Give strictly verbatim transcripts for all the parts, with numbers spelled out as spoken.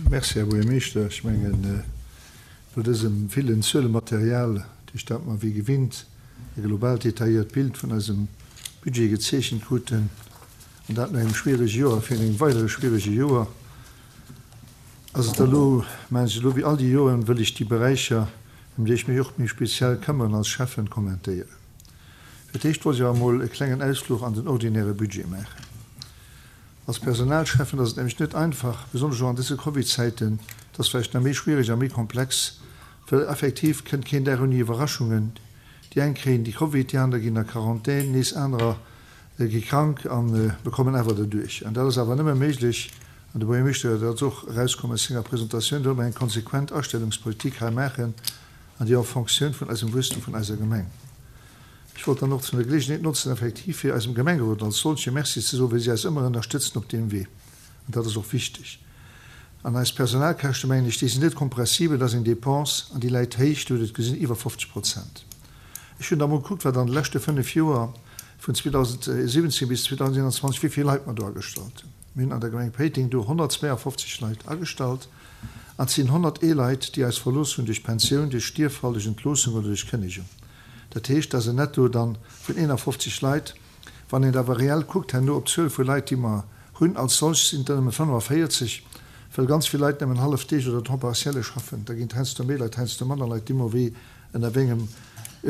Merci, Här Buergermeeschter. Ech mengen, no dësem villen Zuelematerial, duerch dat mer wéi gewinnt e global detailléiert Bild vun eisem Budget gezeechent kruten, an dat no engem schwierege Joer, virun engem weidere schwierege Joer, ass et elo, mengen ech, elo wéi all déi Joren, wëll ech déi Beräicher, ëm déi ech mech och méi speziell këmmeren als Schäffen, kommentéieren. Fir d'éischt wollt ech awer emol e klengen Ausfluch an den ordinäre Budget maachen. Als Personalschäffen ass et nämlech net einfach, besonnesch och an dëse Covid-Zäiten, et ass vläicht nach méi schwierig a méi komplex, well effektiv kënnt keen Dag ouni Iwwerraschungen. Déi eng kréien déi Covid, déi aner ginn a Quarantän, nees anerer gi krank a bekommen awer derduerch. An dat ass awer nëmme méiglech, an de Buergermeeschter, dat ass och erauskomm aus senger Presentatioun, wa mer eng konsequent Astellungspolitik hei maachen an déi en Fonctioun vun eisem Wuesstum vun eiser Gemeng. Ech wollt dann och zu der Geleegenheet notzen, effektiv fir eisem Gemengerot als solche Merci ze soen, well si eis ëmmer ënnerstëtzen op deem Wee. An dat ass och wichteg. An eis Personalkäschte, mengen ech, déi sinn net kompressibel, dat ass eng Dépense an déi läit héich, Dir hutt et gesinn, iwwer fofzeg Prozent. Ech hunn da mol gekuckt, wat an de leschte fënnef Joer, vun zweedausendsiwwenzéng bis zweedausendeenanzwanzeg, wéi vill Leit mer do agestallt hunn. Mir hunn an der Gemeng Péiteng do honnertzweeafofzeg Leit agestallt an et sinn honnertee Leit, déi eis verlooss hunn duerch Pensioun, duerch Stierffall, duerch Entloossung oder duerch Kënnegung. Dat heescht, dat ass en Netto dann vun eenafofzeg Leit. Wann een et awer reell kuckt herno op d'Zuel vu Leit, déi mer hunn als solch, sinn et der nëmme fënnefavéierzeg, well ganz vill Leit nëmmen hallef Deeg oder Temps partielle schaffen. Da ginn et heiansdo méi Leit, heiansdo manner Leit, déi mer wéi ënner wéi engem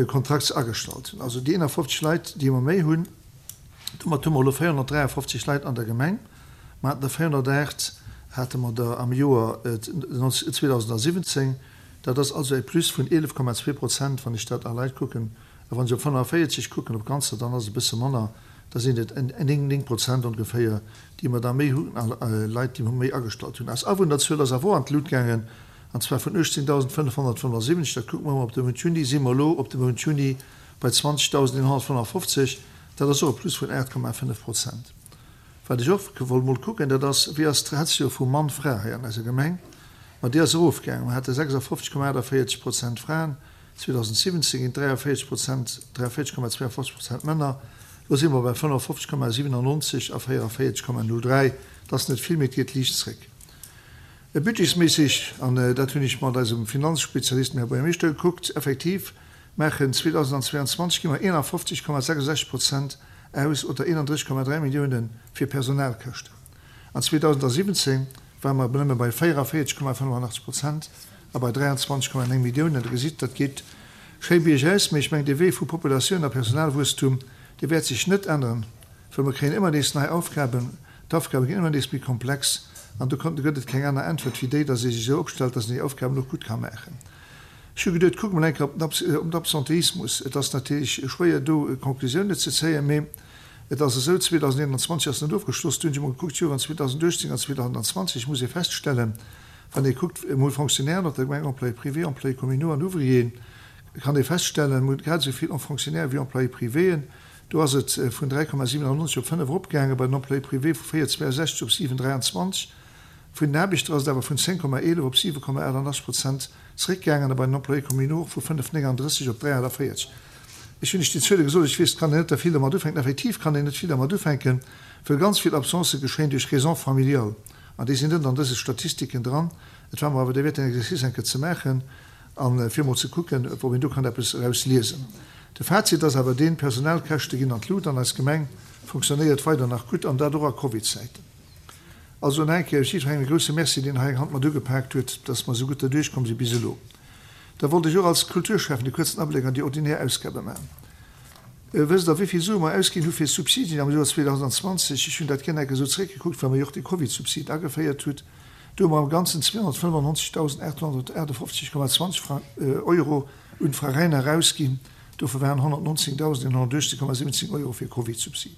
Kontrakt se agestallt hunn. Also déi eenafofzeg Leit, déi mer méi hunn, domat hu mer elo véierhonnertdräiafofzeg Leit an der Gemeng. Mer haten der véierhonnertaacht hate mer der am Joer zweedausensiwwenzéng. Dat ass also e Plus vun eelef Komma zwee Prozent, wann ech dat a Leit kucken. A wann ech op fënnefavéierzeg kucken, op Ganzer, dann ass et e bësse manner, da sinn et néng, néng Prozent ongeféier, déi mer da méi hunn a Leit, déi mer méi agestallt hunn. Eis Awunnerzuel ass awer och an d'Lut gaangen. An zwar vun uechtzéngdausendfënnefhonnertfënnefundsiwwenzeg, dat kucke mer ëmmer op de Mount Juni, si mer elo op de Mount Juni bei zwanzegdausendeenhonnertfënnefofzeg. Dat ass och e Plus vun aacht Komma fënnef Prozent. Wat ech och wollt mol kucken, dat ass, wéi ass d'Ratio vu Mann-Fra hei an eiser Gemeng? Ma déi ass erofgaangen. Mer hate sechsafofzeg Komma aachtavéierzeg Prozent Fraen zweedausensiwwenzéng, ginn dräiavéierzeg Prozent, dräiavéierzeg Komma zweiundfofzeg Prozent Männer. Elo si mer bei fënnefofzeg Komma siwenannonzeg a véieravéierzeg Komma null dräi. Dat ass net vill, mee et geet liicht zréck. Budgetsméisseg, an dat hunn ech mat eisem Finanzspezialist, dem Här Buergermeeschter, gekuckt, effektiv maachen zweedausendzweiundzwanzeg gi mer eenafofzeg Komma sechsundsechzeg Prozent aus oder eenandrësseg Komma dräi Milliounen fir Personalkäschten. An zweedausensiwwenzéng ware mer nëmme bei véieravéierzeg Komma fënnefundachtzeg Prozent a bei dräianzwanzeg Komma néng Milliounen. Der gesitt, dat geet schéi biergaus, mee ech mengen, dee Wee vu Populatioun a Personalwuesstum, dee wäert sech net änneren, well mer kréien ëmmer nees nei Aufgaben. D'Aufgabe ginn ëmmer nees méi komplex an do gëtt et keng aner Äntwert wéi déi, datt ee sech esou opstellt, datt een déi Aufgaben och gutt ka maachen. Ech hu geduet, kucke mol eng Kéier op den Absenteismus. Et ass natierlech schwéier do Conclusiounen ze zéien, mee et ass esou, zweedausendeenanzwanzeg ass net ofgeschloss, do hunn ech emol gekuckt, d'Joren zweedausenduechtzéng an zweedausendzwanzeg. Et muss ee feststellen, wann ee kuckt emol Fonctionnairen op der Gemeng, Employés privés, Employés communaux an Ouvrieren, kann ee feststellen, mir hunn grad esou vill Fonctionnaires wéi Employés privéen. Do ass et vun dräi Komma siwenannonzeg op fënnef eropgaangen, bei den Employés privés vu véier zweiundsechzeg op siwen dräianzwanzeg. Vun den Aarbechter ass et awer vun zéng Komma eelef op siwe Komma achtundachtzeg Prozent zeréckgaangen a bei den Employés communaux och vu fënnef néngandrësseg op dräi achtundvéierzeg. Ech hunn lech déi Zuele gesot, ech weess, et kann een net der vill dermat ufänken. Effektiv kann een net vill dermat ufänken, well ganz vill Absencë geschéien duerch Raisons familiales an déi sinn net an dëse Statistiken dran. Et war mer awer derwäert, den Exercice eng Kéier ze maachen a fir emol ze kucken, ob een do kann eppes erausliesen. De Fazit ass awer deen, d'Personalkäschte ginn an d'Lut an eis Gemeng fonctionnéiert weider nach gutt, an dat och a Covid-Zäiten. Also nach eng Kéier jiddwerengem e grousse Merci, deen hei eng Hand mat ugepaakt huet, dass mer esou gutt derduerch komm si bis elo. Da wollt ech och als Kulturschäffen e kuerzen Abléck an déi ordinär Ausgabe maachen. Wësst Der, wéi vill Sue mer ausginn hu fir Subsidien am Joer zweedausendzwanzeg? Ech hunn dat gär nach eng Kéier esou zeréckgekuckt, well mer jo och de Covid-Subsid ageféiert hutt. Do hu mer am Ganzen zweehonnertfënnefannonzegdausendachthonnertachtefofzeg Komma zwanzeg Euro un d'Veräiner erausginn. Dovun waren honnertnonzéngdausendeenhonnertuechtzeg Komma siwwenzéng Euro fir Covid-Subsid.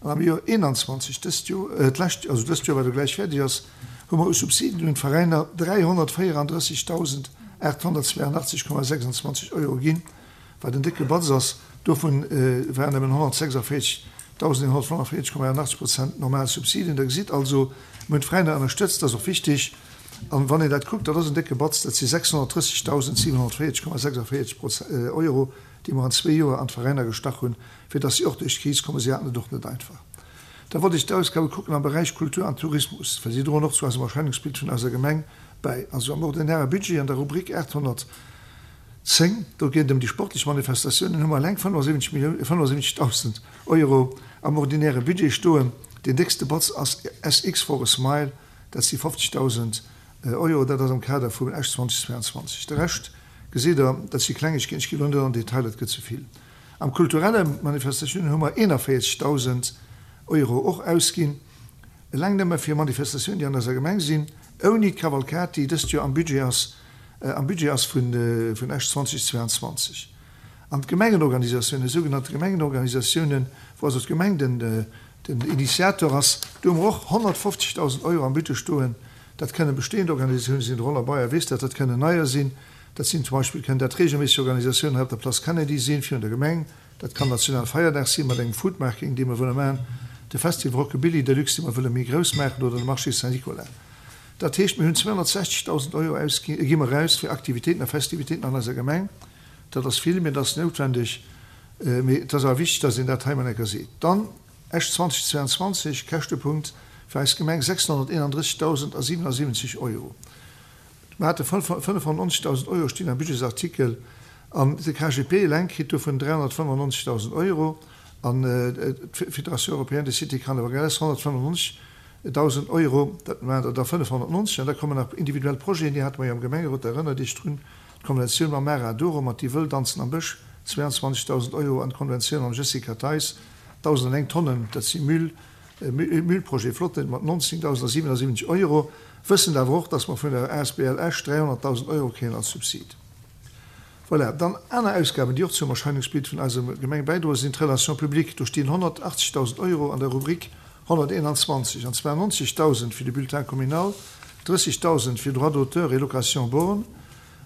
An am Joer eenanzwanzeg, dëst Joer, d'lescht, also dëst Joer, wat elo gläich fäerdeg ass, hu mer u Subsiden un d'Veräiner dräihonnertvéierandrëssigdausendachthonnertzweiundachtzeg Komma sechsundzwanzeg Euro ginn, wat en décke Batz ass. Dovun waren nëmmen honnertsechsundvéierzigdausendeenhonnertfënnefundvéierzeg Komma achtundachtzeg Prozent normal Subsiden. Der gesitt also, mir hunn d'Veräiner ënnerstëtzt, dat ass och wichtig. An wann een dat kuckt, dat ass en décke Batz, dat si sechshonnertdrëssigdausendsiwenhonnertvéierzeg Komma sechsundvéierzeg Euro, déi mer an zwee Joer an d'Veräiner gestach hunn, fir dass si och duerch d'Kris kommen. Si haten et och net einfach. Da wollt ech d'Ausgabe kucken am Beräich Kultur an Tourismus, well si droen och zu eisem Erscheinungsbild vun eiser Gemeng bäi. Also am ordinäre Budget an der Rubrik aathonnertzéng, do geet et ëm déi sportlech Manifestatiounen, hu mer eleng fënnefensiwwenzeg Millioun, fënnefensiwwenzegdausend Euro am ordinäre Budget stoen. Deen déckste Batz ass S X for a Smile, dat si fofzegdausend Euro, dat ass am Kader vum Esch zweitausendzweiundzwanzeg. De Rescht, gesitt Der, dat si Klengegkeeten, ech ginn elo net an den Detail, dat gëtt ze vill. Am kulturelle Manifestatiounen hu mer eenanvéierzegdausend Euro och ausginn, eleng nëmme fir Manifestatiounen, déi an eiser Gemeng sinn, ouni d'Kavalkad, déi dëst Joer am Budget ass, am Budget ass vun Esch zweitausendzweiundzwanzeg. An d'Gemengenorganisatiounen, sougenannte Gemengenorganisatiounen, wou also d'Gemeng den den Initiator ass, do hu mer och honnertfofzegdausend Euro am Budget stoen. Dat kënnen bestehend Organisatiounen sinn, de Roland Beyer weess dat, dat kënnen neier sinn, dat sinn zum Beispill, kënnen dat regelméisseg Organisatiounen hei op der Place Kennedy sinn, virun der Gemeng, dat kann Nationalfeierdag sinn mat engem Foodmarking, dee mer wëlle maachen, de Festival Rockabilly Deluxe, dee mer wëlle méi grouss maachen, oder de Marché Saint-Nicolas. Dat heescht, mir hunn zweehonnertsechzegdausend Euro ausginn, gi mer eraus fir Aktivitéiten a Festivitéiten an eiser Gemeng. Dat ass vill, mee dat ass noutwendeg. Mee et ass awer wichteg, dass een dat hei mol eng Kéier seet. Dann Esch zweitausendzweiundzwanzeg, Käschtepunkt fir eis Gemeng sechshonnerteenandrëssegdausendsiwenundsiwwenzeg Euro. Mer hate fënnefhonnertneunzegdausend Euro stinn am Budgetsartikel an de K G P eleng kritt dovun dräihonnertfënnefennonzegdausend Euro an d'Fédération européenne des cités carnavalesques honnertfënnefennonzegdausend Euro, dat maachen der da fënnefhonnertneunzeg. An da kommen nach individuell Projeten, déi hate mer jo am Gemengerot, der erënnert Iech drun, d'Konventioun mam Mara Doro mat Déi Wëll danzen am Bësch, zweiundzwanzegdausend Euro, an d'Konventioun mam Jessica Theis, dausendeng Tonnen, dat si Müll, Müllprojet Flotte mat nonzéngdausendsiwenundsiwwenzeg Euro, wëssend awer och, dass mer vun der A S B L Esch dräihonnertdausend Euro kréien als Subsid. Voilà. Dann aner Ausgaben, déi och zum Erscheinungsbild vun eiser Gemeng bäidroen, sinn d'Relations publiques. Do stinn honnertachtzegdausend Euro an der Rubrik honnerteenanzwanzeg, an zwar neunzigtausend fir de Bulletin communal, drëssigtausend fir Droits d'auteur et location borne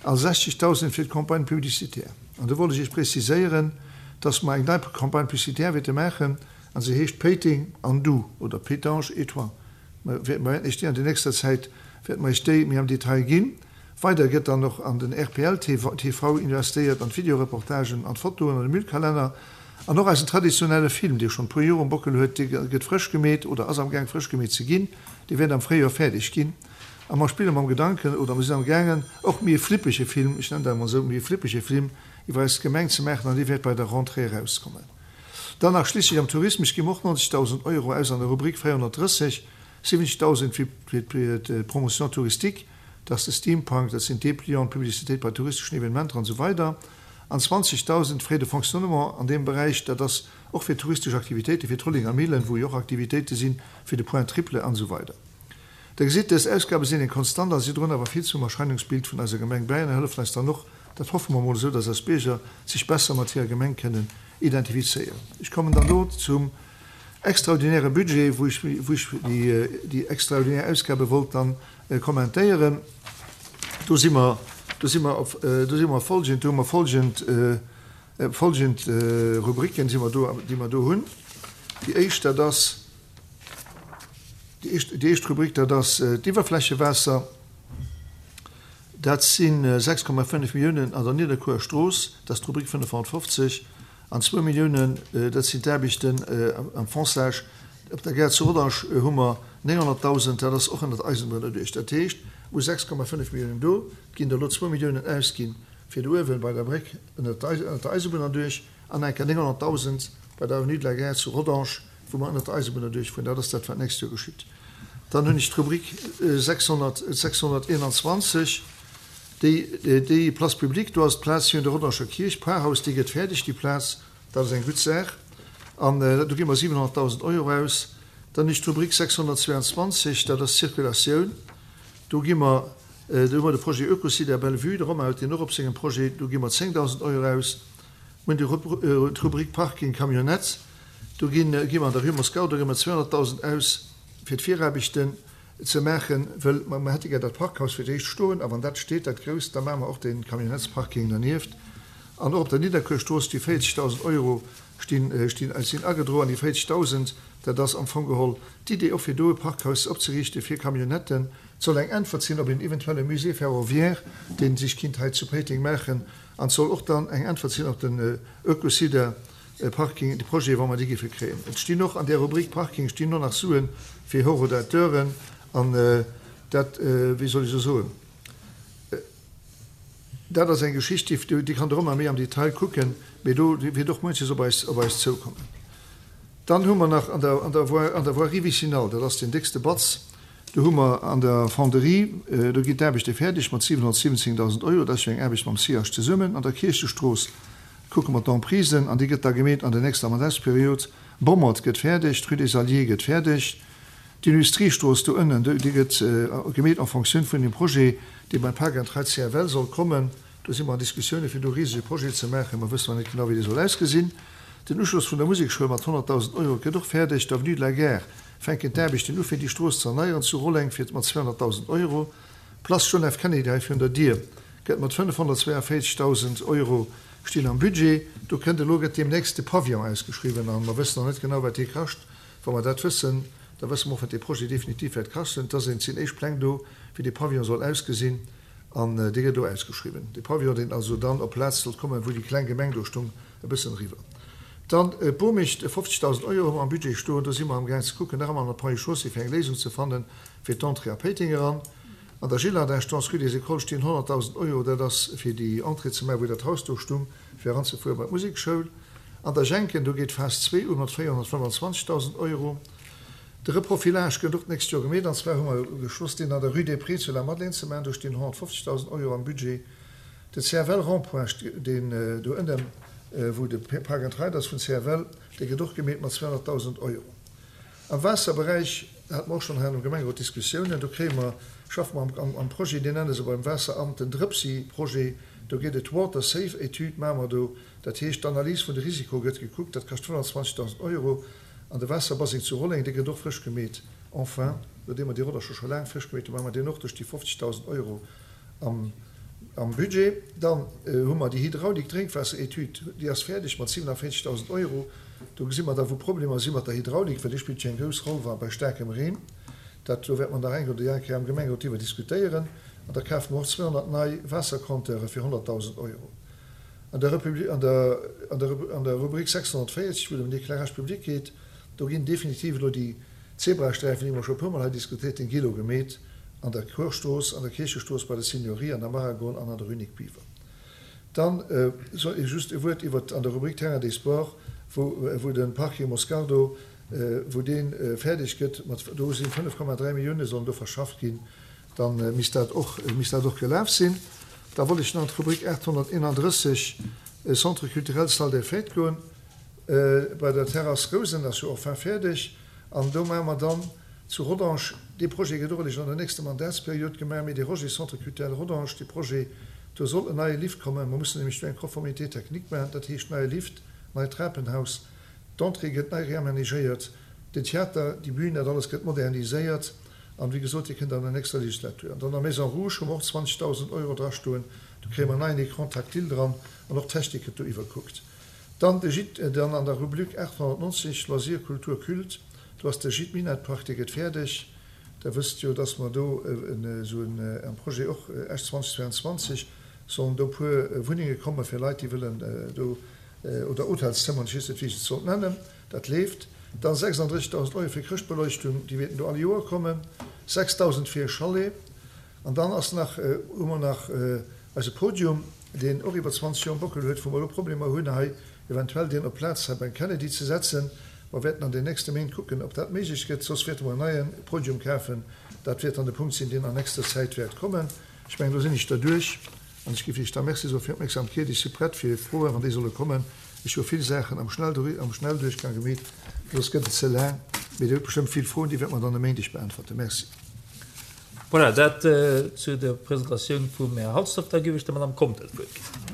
a sechzigtausend fir d'Campagne publicitaire. An do wollt ech Iech preziséieren, dass mer eng nei Campagne publicitaire wäerte maachen, a se heescht Péiteng an du oder Pétange et toi. Mer wäerten Iech déi an der nächster Zäit, wäerte mer Iech déi méi am Detail ginn. Weider gëtt dann och an den R P L T V investéiert, an d'Videoreportagen, an d'Fotoen, an de Müllkalenner an och eisen traditionelle Film, dee schonn e puer Joer um Bockel huet, dee gëtt frësch gemeet oder ass am Gaang frësch gemeet ze ginn. Dee wäert am Fréijoer fäerdeg ginn. A mer spille mam Gedanken oder mer sinn am gaangen och méi e flippege Film, ech nennen dat emol esou, méi e flippege Film iwwer eis Gemeng ze maachen an dee wäert bei der Rentrée erauskommen. Dann nach schliisslech am Tourismus gi mer och neunzigdausend Euro aus an der Rubrik véierhonnertdrësseg, siwwenzigdausend fir d'Promotion touristique, dat ass de Steampunk, dat sinn d'Deplianten, d'Publicitéit bei touristeschen Evenementer an esou weider an zwanzigdausend Frais de fonctionnement an deem Beräich, dat ass och fir touristesch Aktivitéiten, fir d'Rollinger Millen, wou jo och Aktivitéite sinn, fir de Point triple an esou weider. Der gesitt, dës Ausgabe sinn eng Konstant a si droen awer vill zum Erscheinungsbild vun eiser Gemeng bäi an hëllefen eis dann och, dat hoffe mer emol esou, dass eis Bierger sech besser mat hirer Gemeng kënnen identifizéieren. Ech kommen dann elo zum extraordinäre Budget, wou ech wou ech déi extraordinär Ausgabe wollt dann kommentéieren. Do si mer, do si mer op, do si mer folgend, do hu mer folgend, folgend Rubriken si mer do, déi mer do hunn. Déi éischt, dat ass, déi éischt, déi éischt Rubrik, dat ass d'Iwwerflächewaasser. Dat si sechs Komma fënnef Milliounen an der Nidderkuerer Strooss, dat ass d'Rubrik fënnefhonnertfofzeg, an zwou Milliounen, dat sinn d'Aarbechten am Fonçage. Op der Gare zu Rodange hu mer nénghonnertdausend, dat ass och ënnert Eisenbunn erduecht. Dat heescht, u sechs Komma fënnef Milliounen do, et ginn der elo zwou Milliounen ausginn fir do uewen bei der Bréck ënnert der Eisebunn erduerch an enker nénghonnertdausend bei der Avenue de la Gare zu Rodange, wou mer ënnert der Eisebunn erduerchfueren. Dat ass dat, wat d'nächst Joer geschitt. Dann hunn ech d'Rubrik sechshonnertsechshonnerteenanzwanzeg, déi, déi Place publique, do ass d'Plaz virun der Rodanger Kierch, d'Parhaus, déi gëtt fäerdeg, déi Plaz, dat ass eng gutt Saach. An do gi mer siwenhonnertdausend Euro aus. Dann hunn ech d'Rubrik sechshonnertzweiundzwanzeg, dat ass d'Circulatioun. Do gi mer, do hu mer de Projet Oekosite à Bellevue, de Romain huet deen och op sengem Projet, do gi mer zéngdausend Euro aus. Mir hunn d'Rubrik Parking Camionnette, do gi mer an der Rue Moskau, do gi mer zweehonnertdausend aus fir d'Viraarbechten ze maachen, wëll mer hätte gär dat Parkhaus fir d'éischt stoen, a wann dat steet, dat grousst, da maache mer och dee Camionnettesparking dernieft. An och op der Nidderkuerstrooss déi véierzegdausend Euro stinn, stinn, sinn agedroen. Déi véierzegdausend, dat ass am Fong geholl d'Idee och fir do e Parkhaus opzeriichte fir Camionnetten. Et soll eng Äntwert sinn op een eventuelle Musée ferroviaire, dee sech kinnt hei zu Péiteng maachen. An et soll och dann eng Äntwert sinn op den Oekosida, Parking, de Projet, wa mer déi géife kréien. Et stinn och an där Rubrik Parking stinn och nach Sue fir Horodateuren an dat, wéi soll ech elo soen, dat ass eng Geschicht, déi, déi kann Der och nach méi am Detail kucken, mee do wäert och munches op eis, op eis zoukommen. Dann hu mer nach an der, an der Voie, an der Voirie vicinale, dat ass deen déckste Batz, do hu mer an der Fonderie, do ginn d'Aarbechte fäerdeg mat siwenhonnertsiwwenzéngdausend Euro, dat ass jo eng Aarbecht mam SIAS zesummen. An der Kierchestrooss kucke mer d'Emprisen an, déi gëtt da gemeet an der nächster Mandatsperiod. Bommert gëtt fäerdeg, d'Rue des Alliés gëtt fäerdeg, d'Industriestrooss do ënnen, déi gëtt gemeet en fonction vun dem Projet, dee beim Park and Ride C F L soll kommen. Do si mer an Diskussioune fir do e risege Projet ze maachen. Mer wëssen nach net genau, wéi dee soll ausgesinn. Den Uschloss vun der Musekschoul mat honnertdausend Euro gëtt och fäerdeg. D'Avenue de la Gare fänken d'Aarbechten u fir déi Strooss ze erneieren zu Rolleng fir mat zweehonnertdausend Euro. D'Place John F. Kennedy hei virun der Dier gëtt mat fënnefhonnertzweeavéierzegdausend Euro stinn am Budget. Do kënnt elo gëtt deemnächst de Pavillon ausgeschriwwen a mer wëssen nach net genau, wat dee kascht. Wa mer dat wëssen, da wësse mer och, wat dee Projet definitiv wäert kaschten. Et ass een, et sinn éischt Pläng do, wéi dee Pavillon soll ausgesinn an dee gëtt elo ausgeschriwwen. Dee Pavillon, deen also dann op d'Plaz sollt kommen, wou déi kleng Gemeng do stung, e bëssen eriwwer. Dann d'Bomicht, fofzegdausend Euro hu mer am Budget stoen. Do si mer amgaang ze kucken, nach ëmmer an der Ponts et Chaussées, fir eng Léisung ze fannen, fir d'Entrée a Péiteng eran. An der Gillardinstance, rue des Écoles, stinn honnertdausend Euro. Dat ass fir déi Entrée ze maachen, wou dat Haus do stung, fir eranzefuere bei d'Musekschoul. An der Jenken, do geet d'Phas zwee u mat véierhonnertfënnefanzwanzegdausend Euro. De Reprofilage gëtt och d'nächst Joer gemeet. An zwar hu mer beschloss, deen an der rue des Prés zu Lamadelaine ze maachen. Do stinn honnertfofzegdausend Euro am Budget. De C F L-Rond-point, deen do ënnen, wou de Park and Ride ass vun C F L, dee gëtt och gemeet mat zweehonnertdausend Euro. Am Waasserberäich hate mer och schonn hei am Gemengerot Diskussiounen. Do kréie mer, schaffe mer am Projet, deen nenne se beim Waasseramt den Drëpsi-Projet. Do geet et Water Safe Etüd maache mer do. Dat heescht, d'Analys vun de Risiko gëtt gekuckt. Dat kascht honnertzwanzegdausend Euro. An de Waasserbaseng zu Rolleng, dee gëtt och frësch gemeet. Enfin, nodeem mer dee Rodder scho scho laang frësch gemeet hunn, maache mer deen och. Do sti fofzegdausend Euro am Am Budget. Dann hu mer déi Hydraulik-Drénkwaasser-Etüd, déi ass fäerdeg mat siwenavéierzegdausend Euro. Do gesi mer da wou Problemer si mat der Hydraulik, well déi spillt jo eng grouss Roll wa bei staarkem Reen. Dat do wäerte mer nach eng oder déi aner Kéier am Gemengerot driwwer diskutéieren. An da kafe mer och zweehonnert nei Waassercompteure fir honnertdausend Euro. An der Republi-, an der, an der, an der Rubrik sechshonnertvéierzeg, wou et ëm den Éclairage public geet, do ginn definitiv elo déi Zebrasträifen, déi mer scho e puermol hei diskutéiert hunn, gi elo gemeet. An der Chorstrooss, an der Kierchestrooss, bei der Seniorie, an der Maragon an an der Rue Nic Biver. Dann soll ech just e Wuert iwwer an der Rubrik Terrain des Sports, wou wou de Parking Moscardo, wou dee fäerdeg gëtt mat, do sinn fënnef Komma dräi Millioune sollen do verschafft ginn, da misst dat och misst dat och gelaf sinn. Da wollt ech nach an d'Rubrik aathonnerteenandrësseg, Centre culturel, Salle des fêtes goen. Bei der Terrasse Rousen ass jo enfin fäerdeg an do maache mer dann zu Rodange, dee Projet gëtt och eréischt an der nächster Mandatsperiod gemaach, mee dee Roger Centre culturel Rodange, dee Projet, do soll en neie Lift kommen. Mer mussen nämlech do eng Conformité technique maachen, dat heescht neie Lift, neit Trapenhaus, d'Entrée gëtt nei reamenagéiert, den Theater, déi Bühn, dat alles gëtt moderniséiert an, wéi gesot, dee kënnt an der nächster Legislatur. An dann der Maison Rouge hu mer och zwanzegdausend Euro drastoen, do kréie mer en neien Écran tactile dran an och d'Technik gëtt do iwwerkuckt. Dann de Gîte, dann an der Rubrik aathonnertnonzeg, Loisirs, Kultur, Culte, do ass de Gîte Minett-Park, dee gëtt fäerdeg. Der wësst jo, dass mer do esou en Projet och Esch zweedausendzweianzwanzeg sollen do puer Wunnenge komme fir Leit, déi wëllen do, oder Hotelszëmmeren, ech weess net, wéi ech et sollt nennen, dat leeft. Dann sechsandrëssegdausend Euro fir Chrëschtbeleuchtung, déi wäerten do all Joer kommen, sechsdausend fir e Chalet. An dann ass nach, hu mer nach eise Podium, deen och iwwer zwanzeg Joer um Bockel huet, wou mer elo Problemer hunn, hei eventuell deen op d'Plaz hei beim Kennedy ze setzen. Mer wäerten an den nächste Méint kucken, ob dat méiglech gëtt, soss wäerte mer en neie Podium kafen. Dat wäert dann de Punkt sinn, deen an nächster Zäit wäert kommen. Ech mengen, do sinn ech derduerch an ech géif Iech da Merci soe fir d'Opmierksamkeet. Ech si prett fir Froen, wann déi solle kommen. Ech hu vill Saachen am Schnellduerchgang gemeet, soss gëtt et ze laang. Mee Dir hutt bestëmmt vill Froen, déi wäerte mer dann e Méindeg beäntwerten. Merci. Voilà, dat zu der Presentatioun vum Här Halsdorf. Da géif ech der Madame Conter d'Wuert ginn.